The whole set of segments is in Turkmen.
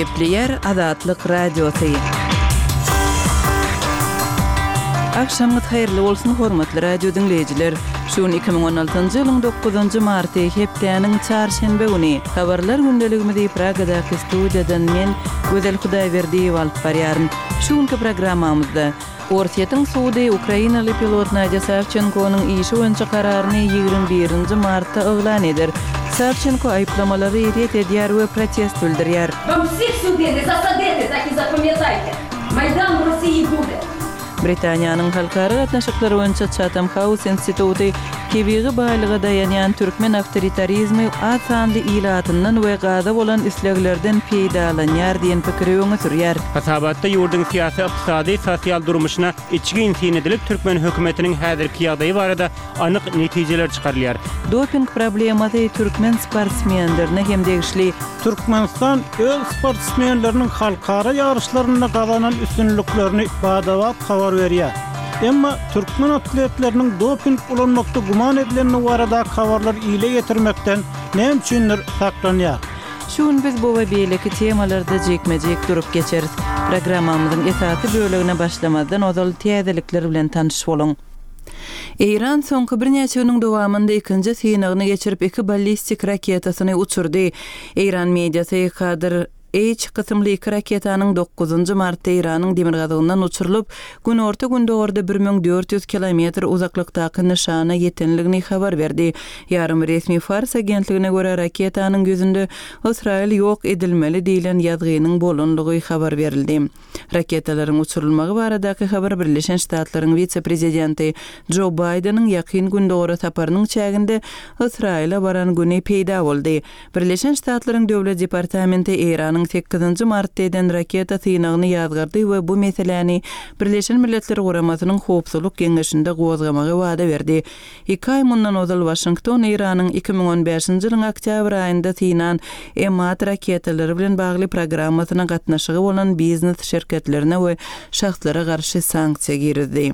Gepleýär Azatlyk Radiosy. Agşamyňyz haýyrly bolsun, hormatly radio diňleýjiler! Şu gün 2016-njy ýylyň dokuzynjy marty, hepdäniň çarşenbe güni. Habarlar gündeligimizi Pragadaky studiýadan men, Gözel Hudaýberdiýewa alyp barýaryn. Şu günki programmamyzda. Orsýetiň sudy ukrainaly pilot Nadýa Sawçenkonyň işi boýunça kararyny 21 nji martda yglan eder. Sawçenko aýyplamalary ret edýär we protest bildirýär. Vam vsih sudy ne zasadety, tak i zapamýataýte! Maýdan w Rossiýi bude! Britaniýanyň halkara gatnaşyklary boýunça Chatham House instituty tebigy baýlyga daýanýan türkmen awtoritarizmi az sanly ilatyndan we gaza bolan isleglerden peýdalanýar diýen pikiri öňe sürýär. Hasabatda ýurduň syýasy, ykdysady, sosial durmuşyna içgin syn edilip, türkmen hökümetiniň häzirki ýagdaýy barada anyk netijeler çykarylýar. Doping problemasy türkmen sportsmenlerine hem degişli. Türkmenistan öz sportsmenleriniň halkara ýaryşlarynda gazanan üstünliklerini bada-bat habar berýär. Emma türkmen atletleriniň doping ulanmakda güman edilendigi baradaky habarlary ile ýetirmekden näme üçindir saklanýar. Şu gün biz bu we beýleki temalarda jikme-jik durup geçeris. Programmamyzyň esasy bölegine başlamazdan ozal täzelikler bilen tanyş boluň. Eýran soňky birnäçe günüň dowamynda ikinji synagyny geçirip, iki ballistik raketasyny uçurdy. Eýran mediasy Kadr H kysymly iki raketanyň dokuzynjy martda Eýranyň demirgazygyndan uçurylyp, günorta-gündogarda 1400 kilometr uzaklykdaky nyşana ýetenligini habar berdi. Ýarym resmi Fars agentligine görä, raketanyň ýüzünde Ysraýyl ýok edilmeli diýlen ýazgynyň bolanlygy habar berildi. Raketalaryň uçurylmagy baradaky habar Birleşen Ştatlaryň wise-prezidenti Jo Baýdeniň Ýakyn Gündogara saparynyň çäginde Ysraýyla baran güni peýda boldy. Birleşen Ştatlaryň Döwlet departamenti Eýranyň sekizinji martda eden raketa synagyny ýazgardy we bu meseläni Birleşen Milletler Guramasynyň Howpsuzlyk Geňeşinde gozgamagy wada berdi. Iki aý mundan ozal Waşington Eýranyň 2015-nji ýylyň oktýabr aýynda synan Emad raketalary bilen bagly programmasyna gatnaşygy bolan biznes şirketlerine we şahslara garşy sanksiýa girizdi.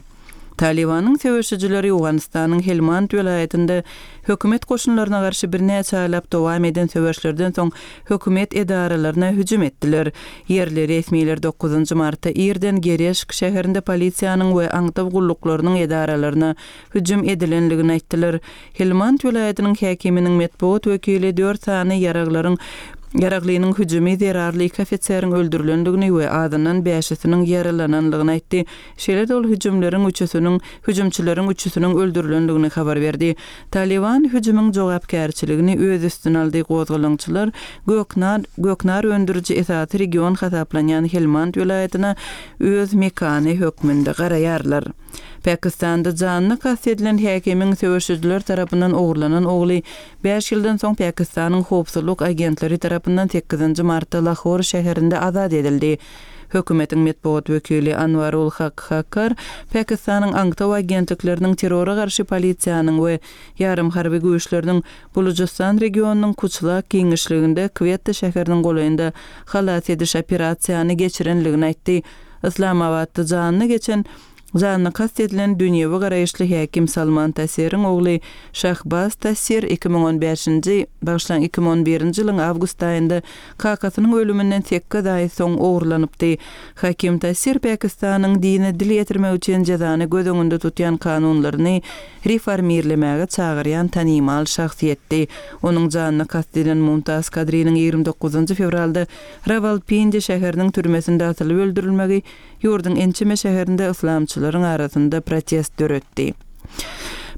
Talybanyň söweşijileri Owganystanyň Helmand welaýatynda hökümet goşunlaryna garşy birnäçe aýlap dowam eden söweşlerden soň hökümet edaralaryna hüjüm etdiler. Ýerli resmiler dokuzynjy martda irden Gereşk şäherinde polisiýanyň we aňtaw gulluklarynyň edaralaryna hüjüm edilendigini aýtdylar. Helmand welaýatynyň häkiminiň metbugat wekili dört sany ýaraglaryň ýaraglynyň hüjümi zerarly iki ofiseriň öldürilendigini we azyndan bäşisiniň ýaralananlygyny aýtdy. Şeýle-de ol hüjümleriň üçüsiniň hüjümçileriň üçüsiniň öldürilendigini habar berdi. Talyban hüjümiň jogapkärçiligini öz üstüne aldy, gozgalaňçylar göknar göknar öndüriji esasy region hasaplanýan Helmand welaýatyna öz mekany hökmünde garaýarlar. Pakistanda janyna kast edilen häkimiň söweşijiler tarapyndan ogurlanan ogly bäş ýyldan soň Pakistanyň howpsuzlyk agentleri tarapyndan sekizinji martda Lahor şäherinde azat edildi. Hökümetiň metbugat wekili Anwarul Hak Kakar Pakistanyň aňtaw agentlikleriniň terrora garşy polisiýanyň we ýarym harby güýçleriniň Bulujystan regionynyň Kuçlak giňişliginde Kwetta şäheriniň golaýynda halas ediş operasiýany geçirenligini aýtdy. Yslamabatda janyna geçen janyna kast edilen dünýewi garaýyşly häkim Salman Tasiriň ogly Şahbaz Tasir 2015-nji, bagyşlaň, 2011-nji ýylyň awgust aýynda kakasynyň ölüminden sekiz aý soň ogurlanypdy. Hakim Tasir Pakistanyň dine dil ýetirmek üçin jezany göz öňünde tutýan kanunlaryny reformirlemäge çagyrýan tanymal şahsyýetdi. Onuň janyna kast edilen Mumtaz Kadriniň 29 fewralda Rawalpindi şäheriniň türmesinde asylyp öldürilmegi ýurduň ençeme şäherinde yslamçylaryň arasynda protest döretdi.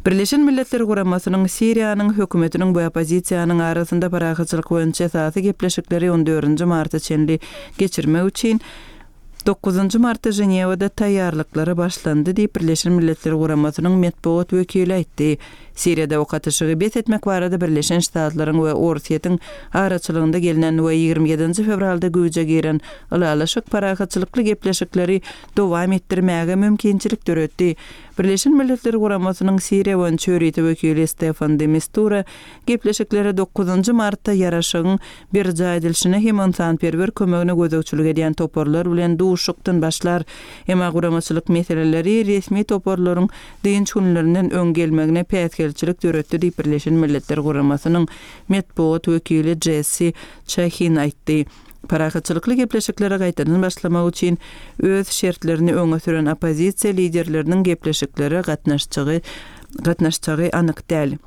Birleşen Milletler Guramasynyň Siriýanyň hökümetiniň we oppozisiýanyň arasynda parahatçylyk boýunça esasy gepleşikleri on dördünji marta çenli geçirmek üçin dokuzynjy martda Ženewada taýýarlyklara başlandy diýip, Birleşen Milletler Guramasynyň metbugat wekili aýtdy. Siriýada ok atyşygy bes etmek barada Birleşen Ştatlaryň we Orsýetiň araçylygynda gelnen we 27-nji fewralda güýje giren ylalaşyk parahatçylykly gepleşikleri dowam etdirmäge mümkinçilik döretdi. Birleşen Milletler Guramasynyň Siriýa boýunça ýörite wekili Stefan de Mistura gepleşiklere dokuzynjy martda ýaraşygyň berjaý edilişine hem ynsanperwer kömegine gözegçilik edýän toparlar bilen duşuşykdan başlar. Emma guramaçylyk meseleleri resmi toparlaryň dynç günlerinden öň gelmegine päsgelçilik döretdi diýip, Birleşen Milletler Guramasynyň metbugat wekili Jessi Çahin aýtdy. Parahatçylykly gepleşiklere gaýtadan başlamak üçin öz şertlerini öňe süren oppozisiýa liderleriniň gepleşiklere gatnaşjagy gatnaşjagy anyk däl.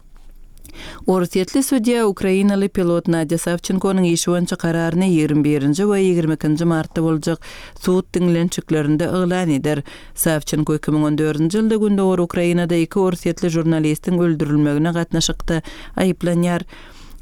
Orsýetli sudýa ukrainaly pilot Nadýa Sawçenkonyň işi boýunça kararyny 21-nji we 22-nji martda boljak sud diňlenişiklerinde yglan eder. Sawçenko 2014-nji ýylda gündogar Ukrainada iki orsýetli žurnalistiň öldürilmegine gatnaşykda aýyplanýar.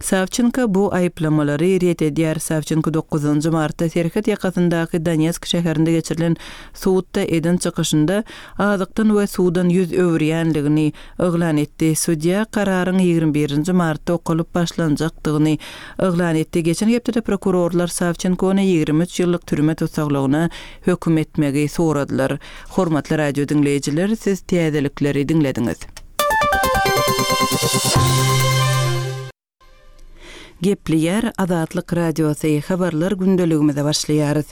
Sawçenko bu aýyplamalary ret edýär. Sawçenko dokuzynjy martda serhet ýakasyndaky Donetsk şäherinde geçirilen sudda eden çykyşynda azykdan we suwdan ýüz öwürýänligini yglan etdi. Sudýa kararyň 21 nji martda okalyp başlanjakdygyny yglan etdi. Geçen hepdede prokurorlar Sawçenkony 23 ýyllyk türme tussaglygyna höküm etmegi soradylar. Hormatly radio diňleýjiler, siz täzelikleri diňlediňiz. Gepleýär Azatlyk Radiosy, Habarlar gündeligimize başlaýarys.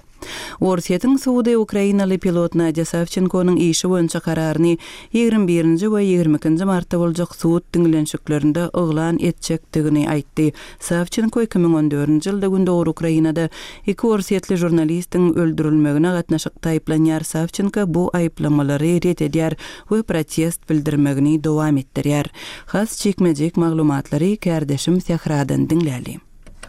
Orsýetiň sudy ukrainaly pilot Nadýa Sawçenkonyň işi boýunça kararyny 21-nji we 22-nji martda boljak sud diňlenişiklerinde yglan etjekdigini aýtdy. Sawçenko 2014-nji ýylda gündogar Ukrainada iki orsýetli žurnalistiň öldürilmegine gatnaşykda aýyplanýar. Sawçenko bu aýyplamalary ret edýär we protest bildirmegini dowam etdirýär. Has jikme-jik maglumatlary kärdeşim Sähradan diňläli.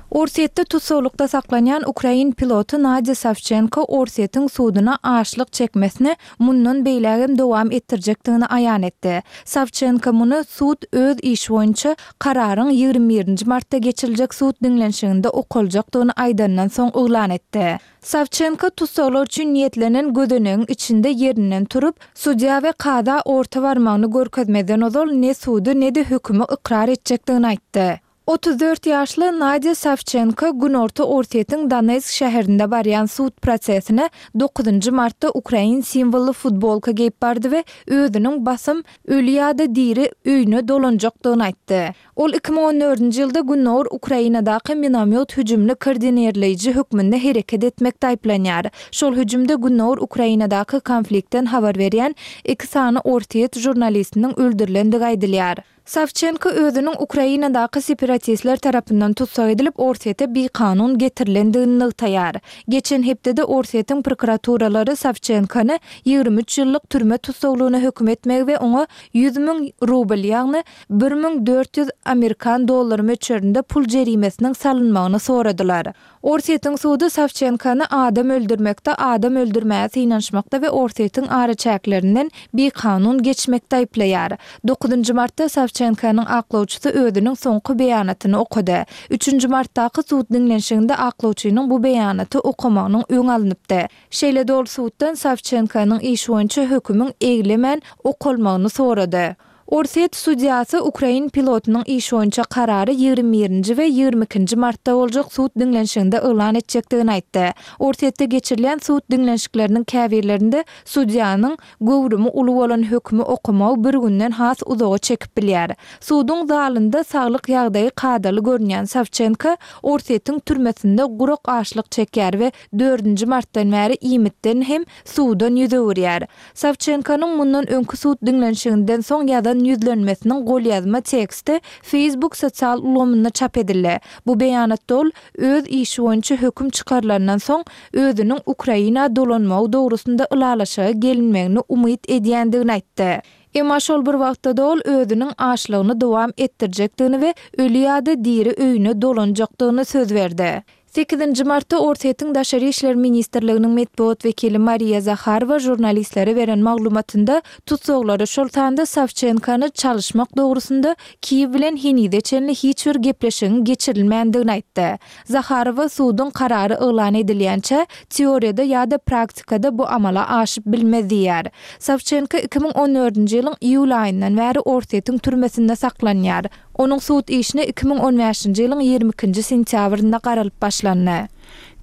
Orsýetde tussaglykda saklanýan ukrain piloty Nadýa Sawçenko Orsýetiň suduna açlyk çekmesini mundan beýlägem dowam etdirjekdigini aýan etdi. Sawçenko muny sud öz işi boýunça kararyň 21 nji martda geçiriljek sud diňlenişiginde okaljakdygyny aýdandan soň yglan etdi. Sawçenko tussaglar üçin niýetlenen gözenegiň içinde ýerinden turup, sudýa we kaza orta barmagyny görkezmezden ozal ne sudy, ne-de hökümi ykrar etjekdigini aýtdy. 34 ýaşly Nadýa Sawçenko günorta Orsýetiň Donetsk şäherinde barýan sud prosesine dokuzynjy martda ukrain simwolly futbolka geýip bardy we özüniň basym öli ýa-da diri öýüne dolanjakdygyny aýtdy. Ol 2014-nji ýylda Gündogar Ukrainadaky minomýot hüjümini koordinirleýji hökmünde hereket etmekde aýyplanýar. Şol hüjümde Gündogar Ukrainadaky konfliktden habar berýän iki sany orsýet žurnalistiniň öldürilendigi aýdylýar. Sawçenko özüniň Ukrainadaky separatistler tarapyndan tussag edilip, Orsýete bikanun getirilendigini nygtaýar. Geçen hepdede Orsýetiň prokuraturalary Sawçenkony 23 ýyllyk türme tussaglygyna höküm etmegi we oňa 100 müň rubl, ýagny 1400 amerikan dollary möçberinde pul jerimesiniň salynmagyny soradylar. Orsýetiň sudy Sawçenkony adam öldürmekde, adam öldürmäge synanyşmakda we Orsýetiň araçäklerinden bikanun geçmekde aýyplaýar. Dokuzynjy martda Sawçenkonyň aklawçysy özüniň soňky beýanatyny okady. Üçünji martdaky sud diňlenişiginde aklawçynyň bu beýanaty okamagynyň öňi alnypdy. Şeýle-de ol suddan Sawçenkonyň işi boýunça hökümiň eglemän okalmagyny sorady. Orsýet sudýasy ukrain pilotynyň işi boýunça karary 21-nji we 22-nji martda boljak sud diňlenişiginde yglan etjekdigini aýtdy. Orsýetde geçirilýän sud diňlenişikleriniň käbirlerinde sudýanyň göwrümi uly bolan hökümi okamagy bir günden has uzaga çekip bilýär. Suduň zalynda saglyk ýagdaýy kadaly görünýän Sawçenko Orsýetiň türmesinde gurak açlyk çekýär we dördünji martdan bäri iýmitden hem suwdan ýüz öwürýär. Sawçenkonyň mundan öňki sud diňlenişiginden soň ýazan ýüzlenmesiniň golýazma teksti Facebook sosial ulgamynda çap edildi. Bu beýanatda ol öz işi boýunça höküm çykarylandan soň özüniň Ukraina dolanmagy dogrusynda ylalaşyga gelinmegini umyt edýändigini aýtdy. Emma şol bir wagtda-da ol özüniň açlygyny dowam etdirjekdigini we öli ýa-da diri öýüne dolanjakdygyny söz berdi. Sekizinji martda Orsýetiň Daşary işler ministrliginiň metbugat wekili Mariýa Zaharowa žurnalistlere beren maglumatynda tussaglary, şol sanda Sawçenkony çalyşmak dogrusynda Kiýew bilen henize çenli hiç bir gepleşigiň geçirilmändigini aýtdy. Zaharowa suduň karary yglan edilýänçä, teoriýada ýa-da praktikada bu amala aşyp bilmez diýýär. Sawçenko 2014-nji ýylyň iýul aýyndan bäri Orsýetiň türmesinde saklanýar. Onuň sud işine 2015-nji ýylyň 22-nji sentýabrynda garalyp başlandy.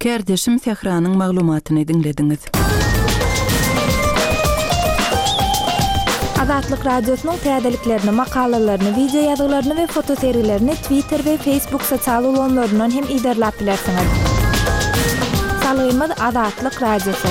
Kärdeşim Sähranyň maglumatyny diňlediňiz. Azatlyk Radiosynyň täzeliklerini, makalalaryny, wideo ýazgylaryny we fotosergilerini Twitter we Facebook sosial ulgamlaryndan hem yzarlap bilersiňiz. Salgymyz Azatlyk Radiosy.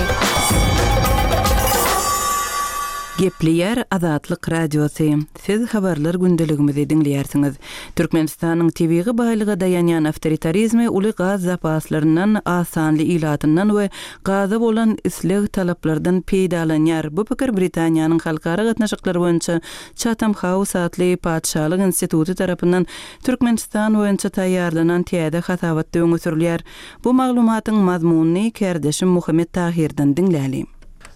Gepleýär Azatlyk Radiosy, Siz Habarlar gündeligimizi diňleýärsiňiz. Türkmenistanyň tebigy baýlyga daýanýan awtoritarizmi uly gaz zapaslaryndan, az sanly ilatyndan we gaza bolan isleg-talaplardan peýdalanýar. Bu pikir Britaniýanyň halkara gatnaşyklary boýunça Chatham House atly patyşalyk instituty tarapyndan Türkmenistan boýunça taýýarlanan täze hasabatda öňe sürülýär. Bu maglumatyň mazmunyny kärdeşim Muhammet Tahyrdan diňläli.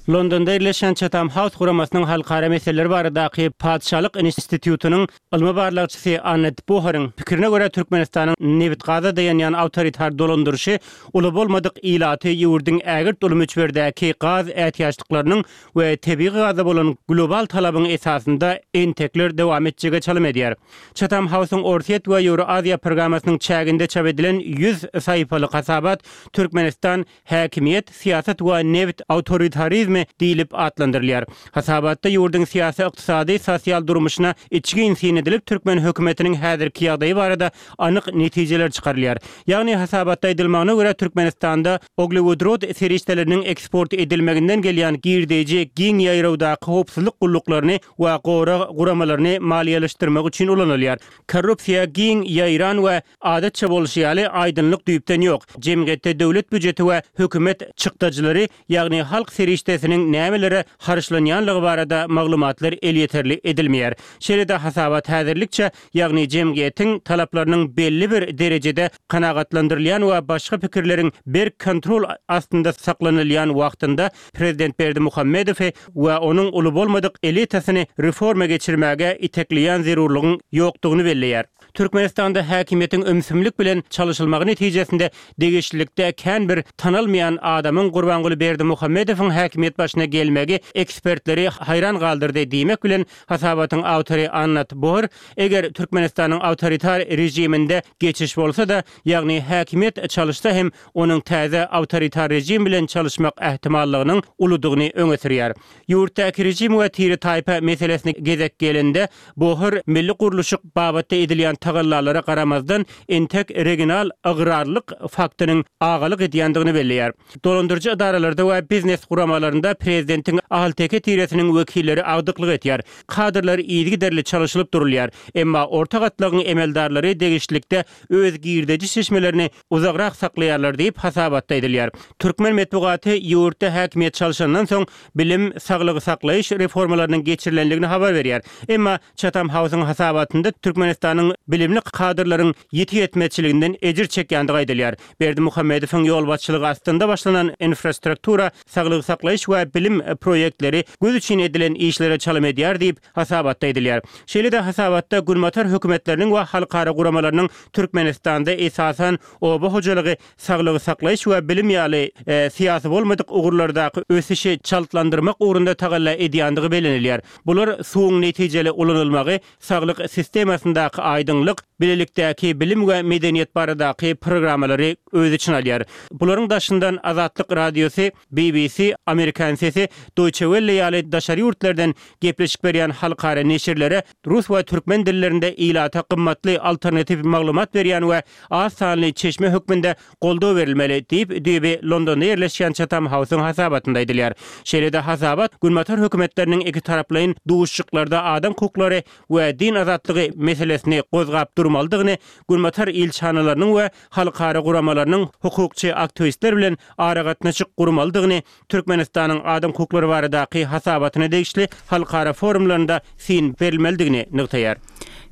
Londonda ýerleşýän Chatham House guramasynyň halkara meseleleri baradaky Patyşalyk institutynyň ylmy barlagçysy Annet Boheryň pikirine görä, Türkmenistanyň nebit-gaza daýanýan awtoritar dolandyryşy uly bolmadyk ilaty ýurduň ägirt uly möçberdäki gaz ätiýaçlyklarynyň we tebigy gaza bolan global talabyň esasynda entekler dowam etjege çalym edýär. Chatham House-yň Orsýet we Ýewroaziýa programmasynyň çäginde çap edilen 100 sahypalyk hasabat Türkmenistan, häkimiýet, syýasat we nebit awtoritarizmi diýlip atlandyrylýar. Hasabatda ýurduň syýasy, ykdysady, sosial durmuşyna içgin syn edilip, türkmen hökümetiniň häzirki ýagdaýy barada anyk netijeler çykarylýar. Ýagny hasabatda aýdylmagyna görä, Türkmenistanda Uglewodorod serişdeleriniň eksport edilmeginden gelýän girdeji giň ýaýrawdaky howpsuzlyk gulluklaryny we gorag guramalaryny maliýeleşdirmek üçin ulanylýar. Korrupsiýa giň ýaýran we adatça bolşy ýaly, aýdyňlyk düýpden ýok. Jemgyýetde döwlet býujeti we hökümet çykdajylary, ýagny halk serişdesiniň nämelere harçlanýanlygy barada maglumatlar elýeterli edilmeýär. Şeýle-de hasabat häzirlikçe, ýagny jemgyýetiň talaplarynyň belli bir derejede kanagatlandyrylýan we başga pikirleriň berk kontrol astynda saklanylýan wagtynda prezident Berdimuhamedowy we onuň uly bolmadyk elitasyny reforma geçirmäge itekleýän zerurlygyň ýokdugyny belleýär. Türkmenistanda häkimiýetiň ümsümlik bilen çalyşylmagy netijesinde degişlilikde kän bir tanalmaýan adamyň Gurbanguly Berdimuhamedowyň häkimiýet başyna gelmegi ekspertleri haýran galdyrdy diýmek bilen hasabatyň awtory Annat Bohr Eger Türkmenistanyň awtoritar režiminde geçiş bolsa-da, ýagny häkimiýet çalyşsa hem onuň täze awtoritar režim bilen çalyşmak ähtimallygynyň uludygyny öňe sürýär. Ýurtdaky režim we tire-taýpa meselesine gezek gelende, Bohr milli gurluşyk babatda edilýän tagallalara garamazdan, entek regional ygrarlylyk faktynyň agalyk edýändigini belleýär. Dolandyryjy edaralarda we biznes guramalarynda prezidentiň ahalteke tiresiniň wekilleri agdyklyk etýär. Kadrlar yzygiderli çalyşylyp durulýar. Emma orta gatlagyň emeldarlary degişlilikde öz girdeji çeşmelerini uzagrak saklaýarlar diýip, hasabatda aýdylýar. Türkmen metbugaty ýurtda häkimiýet çalşandan soň bilim, saglygy saklaýyş reformalarynyň geçirilendigini habar berýär. Emma Chatham House-yň hasabatynda Türkmenistanyň bilimli kadrlaryň ýiti ýetmezçiliginden ejir çekýändigi aýdylýar. Berdimuhamedowyň ýolbaşçylygy astynda başlanan infrastruktura, saglygy saklaýyş we bilim proýektleri göz üçin edilen işlere çalym edýär diýip, hasabatda aýdylýar. Şeýle-de hasabatda günbatar hökümetleriniň we halkara guramalarynyň Türkmenistanda esasan oba hojalygy, saglygy saklaýyş we bilim ýaly syýasy bolmadyk ugurlardaky ösüşi çaltlandyrmak ugrunda tagalla edýändigi bellenilýär. Bular suwuň netijeli ulanylmagy, saglyk sistemasyndaky aýdyňlyk, bilelikdäki bilim we medeniýet baradaky programmalary öz içine alýar. Bularyň daşyndan Azatlyk Radiosy, BBC, Amerikan sesi, Deutsche Welle ýaly daşary ýurtlardan gepleşik berýän halkara neşirlere rus we türkmen dillerinde ilata gymmatly alternatiw maglumat berýän we az sanly çeşme hökmünde goldaw berilmeli, diýip, düýbi Londonda ýerleşýän Chatham House-yň hasabatynda aýdylýar. Şeýle-de hasabat Günbatar hökümetleriniň ikitaraplaýyn duşuşyklarda adam hukuklary we din azatlygy meselesini gozgap durmalydygyny, Günbatar ilçihanalarynyň we halkara guramalarynyň hukukçy aktiwistler bilen aragatnaşyk gurmalydygyny Türkmenistanyň adam hukuklary baradaky hasabatyna degişli halkara forumlarynda syn berilmelidigini nygtaýar.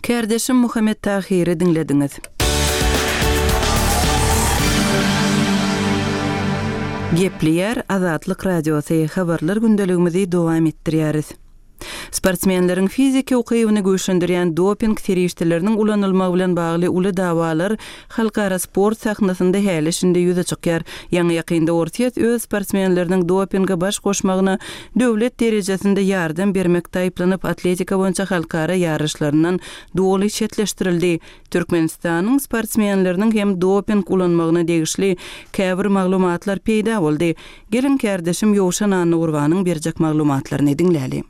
Kärdeşim Muhammet Tahyry diňlediňiz. Gepleýär Azatlyk Radiosy, Habarlar gündeligimizi dowam etdirýäris. Sportsmenleriň fiziki ukybyny güýçlendirýän doping serişdeleriniň ulanylmagy bilen bagly uly dawalar halkara sport sahnasynda häli-şindi ýüze çykýar. Ýaňy-ýakynda Orsýet öz sportsmenleriniň dopinge baş goşmagyna döwlet derejesinde ýardam bermekde aýyplanyp, atletika boýunça halkara ýaryşlaryndan doly çetleşdirildi. Türkmenistanyň sportsmenleriniň hem doping ulanmagyna degişli käbir maglumatlar peýda boldy. Geliň kärdeşim Ýowşan Annagurbanyň berjek maglumatlaryny diňläli.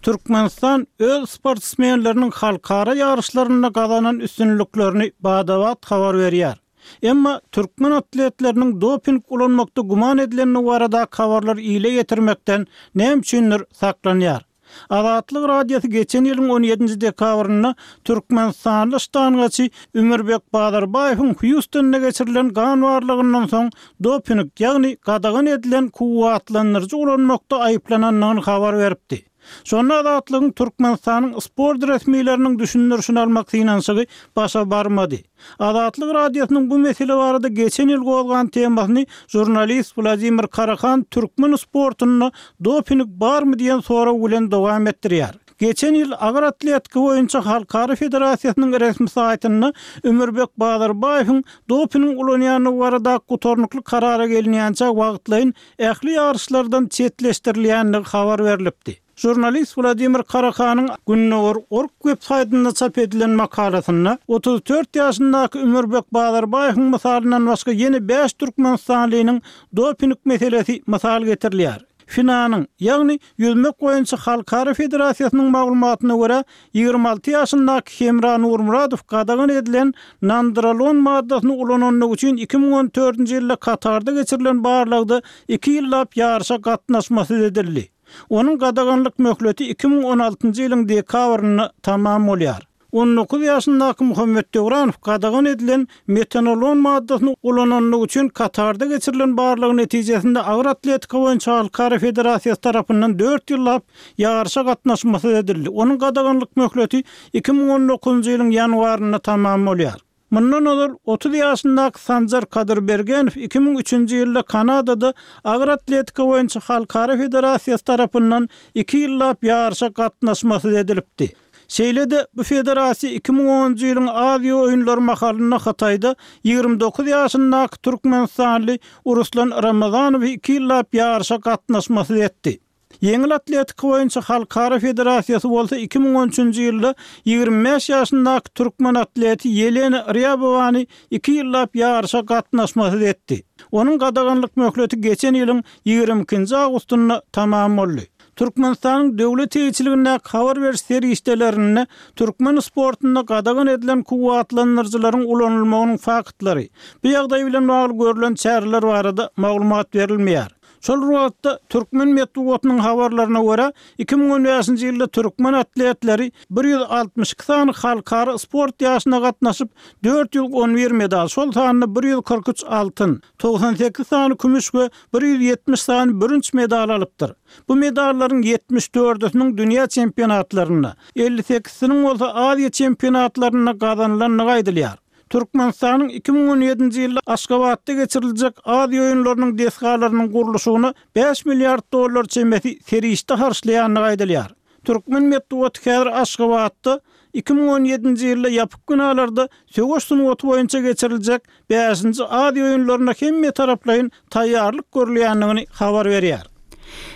Türkmenistan öz sportsmenleriniň halkara ýaryşlarynda gazanan üstünliklerini bada-bat habar berýär. Emma türkmen atletleriniň doping ulanmakda güman edilendigi baradaky habarlary ile ýetirmekden näme üçindir saklanýar. Azatlyk Radiosy geçen ýylyň on ýedinji dekabrynda türkmenistanly ştangaçy Ümürbek Bazarbaýewiň Hýustonda geçirilen gan barlagyndan soň doping, ýagny gadagan edilen kuwwatlandyryjy ulanmakda aýyplanandygyny habar beripdi. Şonda Azatlygyň Türkmenistanyň sport resmileriniň düşündirişini almak synanyşygy başa barmady. Azatlyk Radiosynyň bu mesele barada geçen ýyl gozgan temasyny žurnalist Wladimir Karahan türkmen sportunda doping barmy diýen sorag bilen dowam etdirýär. Geçen ýyl agyr atletika boýunça Halkara federasiýasynyň resmi saýtynda Ümürbek Bazarbaýewiň doping ulanýandygy baradaky gutarnykly karara gelinýänçä wagtlaýyn ähli ýaryşlardan çetleşdirilýändigi habar berlipdi. Žurnalist Wladimir Karakanyň Gündogar org web saýtynda çap edilen makalasynda 34 ýaşyndaky Ümürbek Bazarbaýewiň mysalyndan başga ýene bäş türkmenistanlynyň doping meselesi mysal getirilýär. FINA-nyň, ýagny Ýüzmek boýunça halkara federasiýasynyň maglumatyna görä, 26 ýaşyndaky Hemra Nurmyradow gadagan edilen nandrolon maddasyny ulanandygy üçin 2014-nji ýylda Katarda geçirilen barlagda iki ýyllap ýaryşa gatnaşmasyz edildi. Onuň gadaganlyk möhleti 2016-njy ýylyň dekabrynda tamam bolýar. On dokuz ýaşyndaky Muhammet Döwranow gadagan edilen metanolon maddasyny ulananlygy üçin Katarda geçirilen barlag netijesinde agyr atletika boýunça halkara federasiýasy tarapyndan dört ýyllap ýaryşa gatnaşmasyz edildi. Onuň gadaganlyk möhleti 2019-njy ýylyň ýanwarynda tamam bolýar. Mundan ozal, 30 ýaşyndaky Sanjar Kadyrbergenow 2003-nji ýylda Kanadada agyr atletika boýunça halkara federasiýasy tarapyndan iki ýyllap ýaryşa gatnaşmasyz edilipdi. Şeýle-de, bu federasiýa 2010-njy ýylyň Aziýa oýunlary mahalynda Hytaýda 29 ýaşyndaky türkmenistanly Ruslan Ramazanowy iki ýyllap ýaryşa gatnaşmasyz etdi. Ýeňil atletika boýunça halkara federasiýasy bolsa 2013-nji ýylda 25 ýaşyndaky türkmen atleti Ýelena Rýabowany iki ýyllap ýaryşa gatnaşmasyz etdi. Onuň gadaganlyk möhleti geçen ýylyň 22-nji awgustynda tamam boldy. Türkmenistanyň döwlet eýeçiligindäki habar beriş serişdelerinde türkmen sportunda gadagan edilen kuwwatlandyryjylaryň ulanylmagynyň faktlary, bu ýagdaý bilen bagly görlen çäreler barada maglumat berilmeýär. Şol bir wagtda, türkmen metbugatynyň habarlaryna görä, 2015-nji ýylda türkmen atletleri 162 sany halkara sport ýaryşyna gatnaşyp, 411 medal, şol sanda 143 altyn, 98 sany kümüş we 170 sany bürünç medal alypdyr. Bu medallaryň 74-üsiniň dünýä çempionatlarynda, 58-siniň bolsa Aziýa çempionatlarynda gazanylandygy aýdylýar. Türkmenistanyň 2017-nji ýylda Aşgabatda geçiriljek Aziýa oýunlarynyň desgalarynyň gurluşygyna bäş milliard dollar çemesi serişde harçlaýandygy aýdylýar. Türkmen metbugaty häzir Aşgabatda 2017-nji ýylda ýapyk binalarda söweş sungaty boýunça geçiriljek bäşinji Aziýa oýunlaryna hemmetaraplaýyn taýýarlyk görülýändigini habar berýär.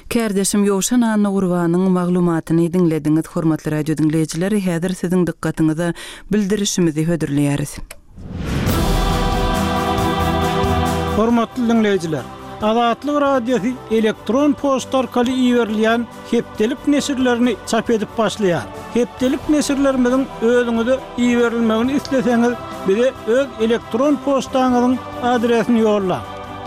Kärdeşim Ýowşan Annagurbanyň maglumatyny diňlediňiz. Hormatly radio diňleýjiler, häzir siziň dykgatyňyza bildirişimizi hödürleýäris. Hormatly diňleýjiler! Azatlyk Radiosy elektron poçta arkaly iberilýän hepdelik neşirlerini çap edip başlaýar. Hepdelik neşirlerimiziň özüňize iberilmegini isleseňiz, bize öz elektron poçtaňyzyň adresini ýollaň.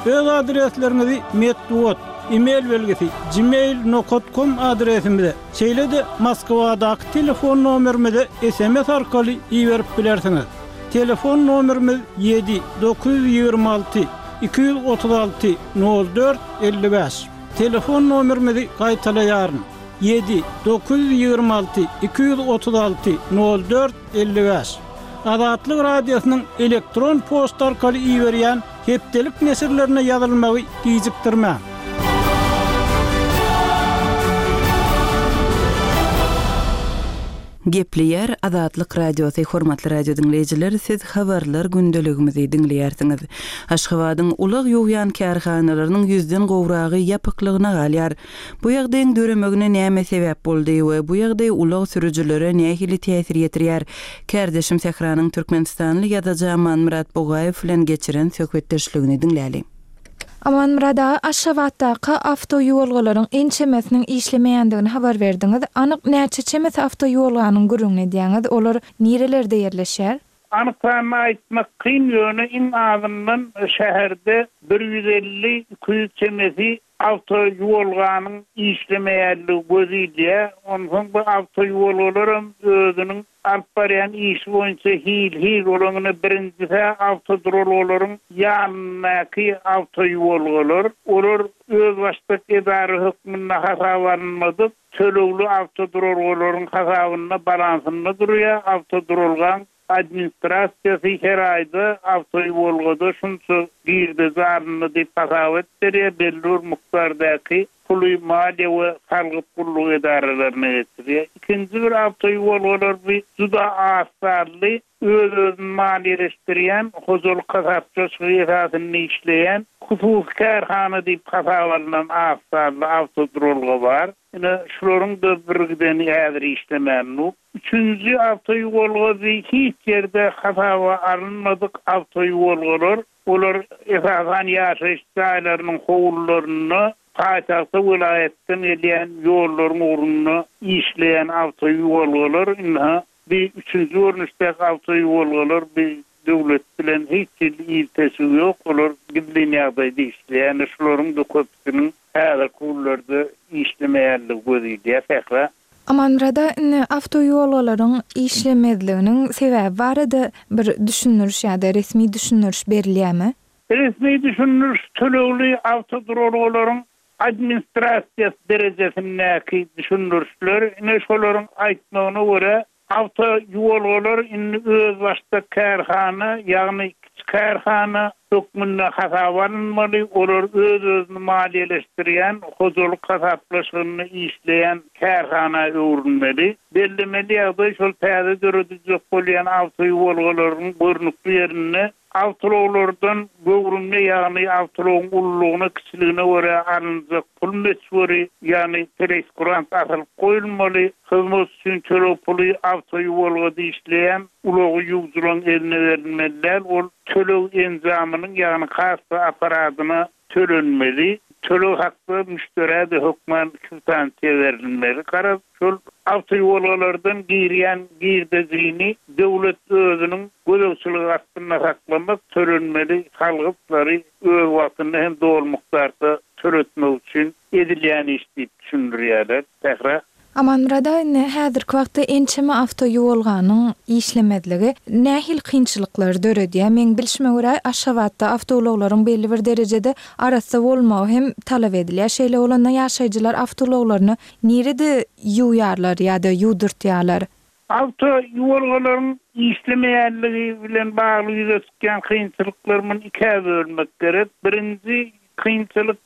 Öz adresleriňizi metbugat, e-mail belgisi, gmail nokat kom adresimize, şeýle-de Moskwadaky telefon nomerimize sms arkaly iberip bilersiňiz. Telefon nomerimiz ýedi, 926, 236, 04, 55. Telefon nomerimizi gaýtalaýaryn, ýedi, 926, 236, 04, 55. Azatlyk Radiosynyň elektron poçta arkaly iberýän Hepdelik neşirlerine ýazylmagy gijikdirmäň. Gepleýär Azatlyk Radiosy Hormatly radio diňleýjiler siz habarlar gündeligimizi diňleýärsiňiz. Aşgabadyň ulag ýuwýan kärhanalarynyň ýüzden gowragy ýapyklygyna galýar. Bu ýagdaýyň döremegine näme sebäp boldy we bu ýagdaý ulag sürüjilere nähili täsir ýetirýär? Kärdeşim Sähranyň türkmenistanly ýazyjy Amanmyrat Bugaýew bilen geçiren söhbetdeşligini diňläliň. Amanmyrat aga, Aşgabatdaky awtoýuwalgalaryň ençemesiniň işlemeýändigini habar berdiňiz. Anyk näçe çemesi awtoýuwalganyň gürrüňini edýäňiz? Olar nirelerde ýerleşýär? Anyk sanyny aýtmak kyn, ýöne iň azyndan şäherde bir 150, 200 çemesi. Awtoýuwalganyň işlemeýänligi göz ilýär. Onsoň bu awtoýuwalgalaram özüniň alyp barýan işi boýunça hil-hil. Olaryň ine birinjisi-hä awtoduralgalaryň ýanyndaky awtoýuwalgalar. Olar özbaşdak edara hökmünde hasaba alynmadyk, tölegli awtoduralgalaryň hasabynda, balansynda durýar. Awtoduralgaň Administrasiýasy her aýda awtoýuwalgada şunça girdeji alyndy diýip hasabat berýär, belli bir mukdardaky puly maliýe we salgyt gullugy edaralaryna geçirýär. Ikinji bir awtoýuwalgalar bu juda az sanly öz-özüni maliýeleşdirýän, hojalyk hasaplaşygy esasynda işleýän hususy kärhana diýip hasaba alnan az sanly awtoduralga bar. Ine, şularyň-da birgideni häzir işlemän dur. Üçünji awtoýuwalgasy hiç ýerde hasaba alynmadyk awtoýuwalgalar, olar esasan ýaşaýyş jaýlarynyň howlularynda, paýtagta welaýatdan gelýän ýollaryň ugrunda işleýän awtoýuwalgalar, ynha, bi üçünji görnüşdäki awtoýuwalgalar bi döwlet bilen hiç hili ilteşigi ýok, olar gizlin ýagdaýda işleýär, ine şularyň-da köpüsiniň häzirki günlerde işlemeýänligi göz ilýär, Sähra. Amanmyrada indi awtoýolgalaryň işlemezliginiň sebäbi barada bir düşündiriş ýa-da resmi düşündiriş berilýärmi? Resmi düşündiriş tölegli awtoduralgalaryň administrasiýasy derejesindäki düşündirişler, ine şolaryň aýtmagyna görä, Awtoýuwalgalar indi özbaşdak kärhana, ýagny kiçi kärhana hökmünde hasaba alynmaly, olar öz-özüni maliýeleşdirýän, hojalyk hasaplaşygynda işleýän kärhana öwrülmeli. Bellemeli ýagdaý, şol täze dörediljek bolýan awtoýuwalgalaryň görnükli ýerinde Awtoulaglardan göwrümine, ýagny awtoulagyň ululygyna, kiçiligine görä alynjak pul möçberi, ýagny preýskurant asylyp goýulmaly. Hyzmat üçin töleg puly awtoýuwalgada işleýän ulagy ýuwujylaryň eline berilmeli däl, ol töleg enjamynyň, ýagny kassa apparadyna tölenmeli. Töleg hakda müşderä-de hökman kwitansiýa berilmeli. Garaz, şol awtoýuwalgalardan girýän girdejini döwlet özüniň gözegçiligi astynda saklamak, tölenmeli salgytlary öz wagtynda hem doly mukdarda töletmek üçin edilýän iş diýip düşündirýärler. Sähra. Amanmyrat aga indi häzirki wagtda ençeme awtoýuwalganyň işlemezligi nähili kynçylyklary döredýär? Meň bilşime görä Aşgabatda awtoulaglaryň belli bir derejede arassa bolmagy hem talap edilýär. Şeýle bolanda ýaşaýjylar awtoulaglaryny nirede ýuwýarlar ýa-da ýuwdurtýarlar? Awtoýuwalgalaryň işlemeýänligi bilen bagly ýüze çykýan kynçylyklary muny ikä bölmek gerek. Birinji kynçylyk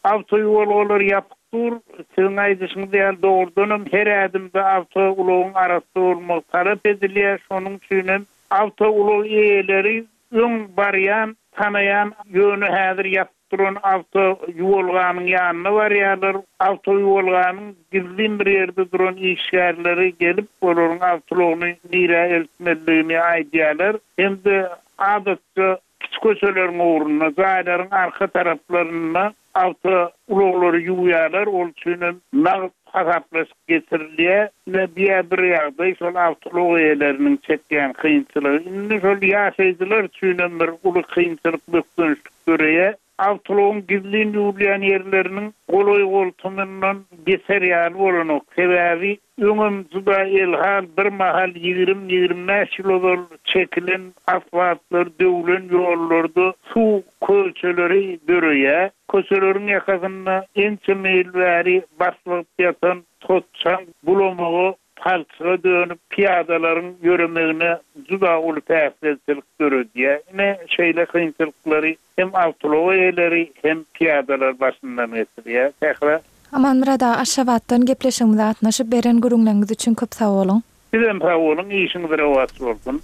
Awtoýuwalgalar ýapyk dur. Siziň aýdyşyňyz ýaly, dogrudanam her ädimde awtoulagyň arassa bolmagy talap edilýär. Şonuň üçin hem awtoulag eýeleri öň barýan, tanaýan, ýöne häzir ýapyk duran awtoýuwalganyň ýanyna barýarlar. Awtoýuwalganyň gizlin bir ýerde duran işgärleri gelip, olaryň awtoulagyny nirä eltmelidigini aýdýarlar hem-de adatça Kiçi köçeleriň ugrunda, jaýlaryň arka taraplarynda awtoulaglary ýuwýarlar, ol üçin hem nagt hasaplaşyk geçirilýär. Ine, bu-ýa bir ýagdaý, şol awtoulag eýeleriniň çekýän kynçylygy. Indi şol ýaşaýjylar üçin hem bir uly kynçylyk, bökdençlik döreýär. Awtoulagyň gizlin ýuwulýan ýerleriniň golaý-goltumyndan geçer ýaly bolanok. Sebäbi öňem juda elhal bir mahal 20, 25 ýyl ozal çekilen asfaltlar döwlen ýollarda suw kölçeleri döreýär. Köçeleriň ýakasynda ençeme ýyl bäri baslygyp ýatan tot-çaň bulamaga palçyga dönüp, pyýadalaryň ýöremegine juda uly päsgelçilik döredýär. Ine, şeýle kynçylyklary hem awtoulag eýeleri, hem pyýadalar başyndan geçirýär. Sähra. Amanmyrat aga Aşgabatdan gepleşigimize gatnaşyp beren gürrüňleriňiz üçin köp sag boluň. Sizem sag boluň, işiňiz rowaç bolsun.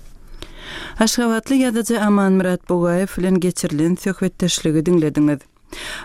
Aşgabatly ýazyjy Amanmyrat Bugaýew bilen geçirilen söhbetdeşligi diňlediňiz.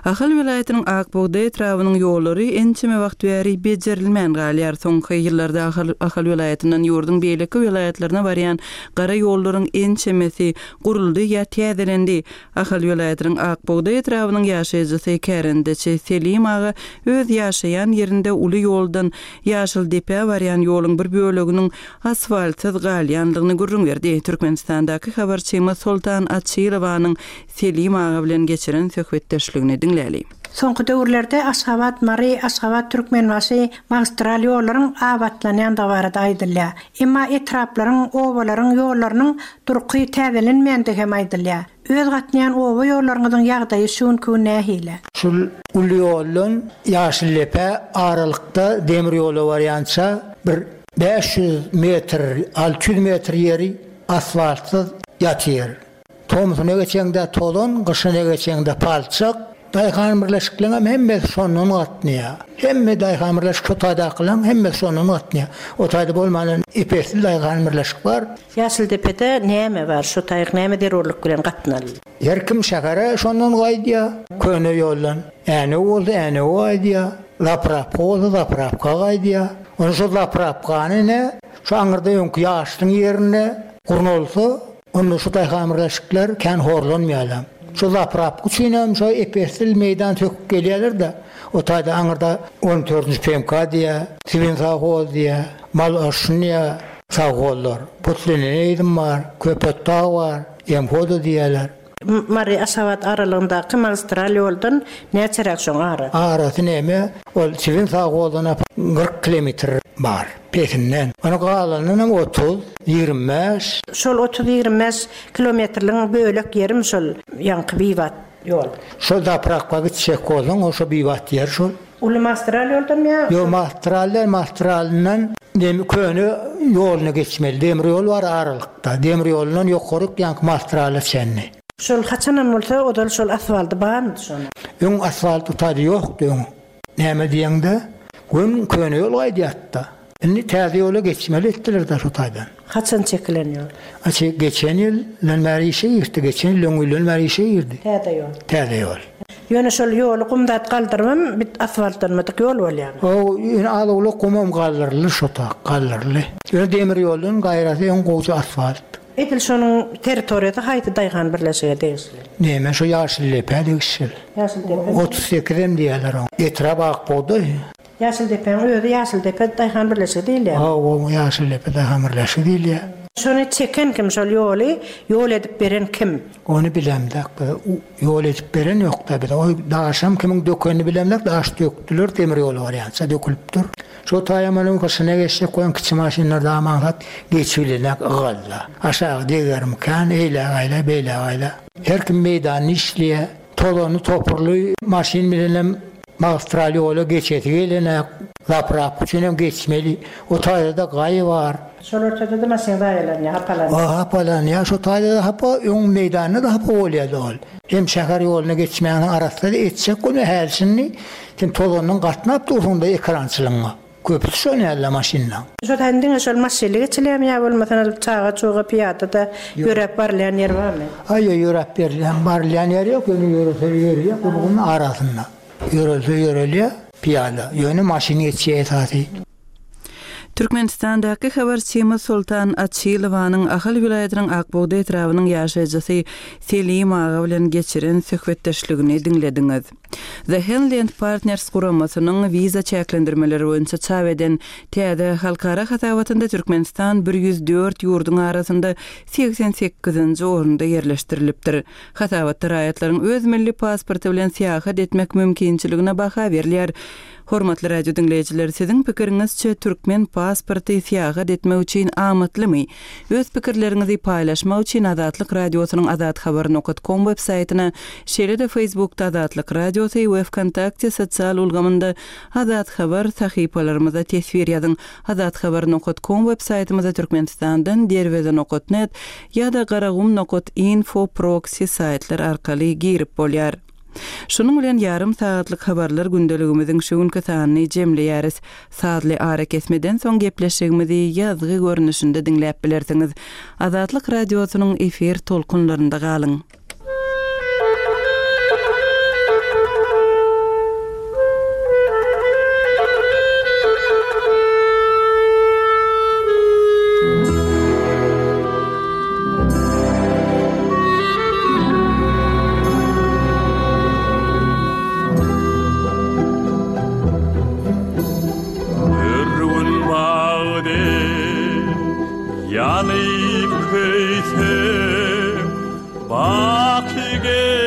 Ahal welaýatynyň Ak bugdaý etrabynyň ýollary ençeme wagt bäri bejerilmän galýar. Soňky ýyllarda Ahal Ahal welaýatyndan ýurduň beýleki welaýatlaryna barýan gara ýollaryň ençemesi guruldy ýa täzelendi. Ahal welaýatynyň Ak bugdaý etrabynyň ýaşaýjysy, kärendeçi Selim aga öz ýaşaýan ýerinde uly ýoldan Ýaşyldepä barýan ýoluň bir böleginiň asfaltsyz galýandygyny gürrüň berdi. Türkmenistandaky habarçymyz Soltan Açylowanyň Selim aga bilen geçiren söhbetdeşligini. söhbetdeşligini diňläli. Soňky döwürlerde Aşgabat, Mary, Aşgabat, Türkmenbaşy magistral ýollaryň abatlanýandygy barada aýdylýar. Emma etraplaryň, obalaryň ýollarynyň durky täzelenmeýändigi hem aýdylýar. Öz gatnaýan oba ýollaryňyzyň ýagdaýy şu günki gün nähili? Şul uly ýoldan Ýaşyldepä aralykda demir ýola barýança bir 500 metr, 600 metr ýeri asfaltsyz ýatyr. Tomsuna geçeňde tozan, gyşyna geçeňde palçyk. Daýhan birleşikleňem hemmesi şondan gatnaýar. Hemme daýhan birleşik şo taýdakylaň hemmesi şondan gatnaýar. O taýda bolmanam ep-esli daýhan birleşik bar. Ýaşyldepede näme bar? Şo taýyk näme zerurlyk bilen gatnaly? Her kim şähere şondan gaýdýar, köne ýoldan. Änew bolsa Änewe gaýdýar, zaprapka bolsa zaprapka gaýdýar. Onda şo zaprapkany ine, şo aňyrda öňki ýaşlyň ýerinde gurnalsa, Onda şu daýhanbirleşikler kän horlanmaýarlar. Şu zaprapka üçinem şo ep-esli meýdan söküp gelýärler-de, o taýda aňyrda on dördünji PMK diýýär, Sibin sowhoz diýýär, Mal arşyn diýýär sowhozlar. Putlenenizm bar, Köpetdag bar, MHODA diýýärler. Mary, Aşgabat aralygyndaky magistral ýoldan näçeräk şoň arasy? Arasy näme, ol Çibin sowhozdan 40 kilometr bar, pesinden. Ony galanynam 30, 25. Şol 30-25 kilometrligiň bölek ýerimi şol ýaňky bibat ýol? Şol zaprawka gitjek bolsaň, ol şo bibat ýer şol. Uly magistral ýoldanmy ýa? Ýok, magistral däl, magistralyndan demi köne ýoluna geçmeli. Demir ýol bar aralykda. Demir ýolundan ýokaryk ýaňky magistrala çenli. Şol haçanam bolsa ozal şol asfalty barmydy şonuň? Öň asfalt utady ýokdy öň. Näme diýeňde, göni köne ýol gaýdýardy-da. Indi täze ýola geçmeli etdiler-dä şo taýdan. Haçan çekilen ýol? Açy geçen ýyldan bäri işe girdi. Geçen ýyl öňňülden bäri işe girdi. Täze ýol. Täze ýol. Ýöne şol ýoly gum zat galdyrybam bit asfaltlanmadyk ýol bolýamy? Hawa, ýöne az-owlak gumam galdyryldy şo tak, galdyryldy. Ýöne demir ýoldan gaýrasy öň gowja asfalt. Edil şonuň territoriýasy haýsy daýhan birleşige degişli? Näme şo Ýaşyldepe degişli. Ýaşyldepe. 38 em diýýärler oňa. Etrap Akbugdaý. Ýaşyldepäň özi Ýaşyldepe daýhan birleşigi diýilýär. Hawa, Ýaşyldepe daýhan birleşigi diýilýär. Şony çeken kim, şol ýoly ýol edip beren kim? Ony bilemzok biz. Ýol edip beren ýok-da bize. O daşam kimiň dökenini bilemzok, daş dökdüler, demir ýola barýança dökülipdir. Şo taýam onuň gyşyna geçjek bolan kiçi maşynlar dam aňsat geçibilenak ygalla. Aşagy degermikän, eýläk aýla, beýläk aýla. Her kim meýdanyny işleýär. Tozanly topurly maşyn bilenem magistral ýola geçesi gelenak. Zaprapka üçinem geçmeli. O taýda-da gaý bar. Şol ortada-da maşyn zaýalanýar, hapalanýar. Hapalanýar. Şo taýda-da hapa, öň meýdanda-da hapa bolýardy ol. Hem şäher ýoluna geçmäni arassa etjek bolma häli şindi sen tozandan gatnap dursuň-da ekrançylygyňa. Köpüsi şol ýaly maşynlaň. Şo taýdan diňe şol maşynly geçilýärmi ýa bolmasa çaga-çuga pyýada-da ýöräp barylýan ýer barmy? Aý ýok ýöräp berilýän barylýan ýer ýok ýöne ýörese ýörýär gurgun arasynda. Ýörelse ýörelýär pyýada ýöne maşyn geçýär esasy. Türkmenistandaky habarçymyz Soltan Açylowanyň Ahal welaýatynyň Ak bugdaý etrabynyň ýaşaýjysy Selim aga bilen geçiren söhbetdeşligini diňlediňiz. The Henley and Partners guramasynyň wiza çäklendirmeleri boýunça çap eden täze halkara hasabatynda Türkmenistan 104 ýurduň arasynda 88-nji orunda ýerleşdirilipdir. Hasabatda raýatlaryň öz milli pasporty bilen syýahat etmek mümkinçiligine baha berilýär. Hormatly radio diňleýjiler, siziň pikiriňizçe türkmen pasporty syýahat etmek üçin amatlymy? Öz pikirleriňizi paýlaşmak üçin Azatlyk Radiosynyň azathabar nokat kom web saýtyna, şeýle-de Facebookda Azatlyk Radiosy we Wkontakte sosial ulgamynda Azathabar sahypalarymyza teswir ýazyň. Azathabar nokat kom web saýtymyza Türkmenistandan Derweze nokat net ýa-da Garagum nokat info proksi saýtlar arkaly girip bolýar. Şunuň bilen ýarym sagatlyk habarlar gündeligimiziň şu günki sanyny jemleýäris. Sazly arakesmeden soň gepleşigimizi ýazgy görnüşinde diňläp bilersiňiz. Azatlyk Radiosynyň efir tolkunlarynda galyň! Ýanyp köýsek, baky.